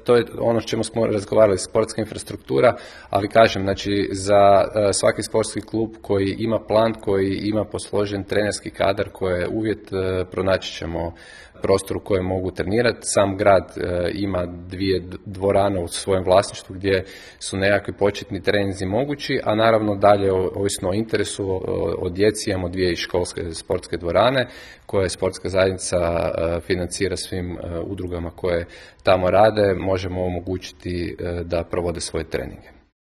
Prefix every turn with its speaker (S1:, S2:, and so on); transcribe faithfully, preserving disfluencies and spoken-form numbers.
S1: to je ono s čemu smo razgovarali, sportska infrastruktura, ali kažem, znači za svaki sportski klub koji ima plan, koji ima posložen trenerski kadar, koji je uvjet, pronaći ćemo prostor u kojem mogu trenirati. Sam grad ima dvije dvorane u svojem vlasništvu gdje su nekakvi početni treninzi mogući, a naravno dalje, ovisno o interesu, o djeci, imamo dvije i školske sportske dvorane koje sportska zajednica financira svim udrugama koje tamo rade, možemo omogućiti da provode svoje treninge.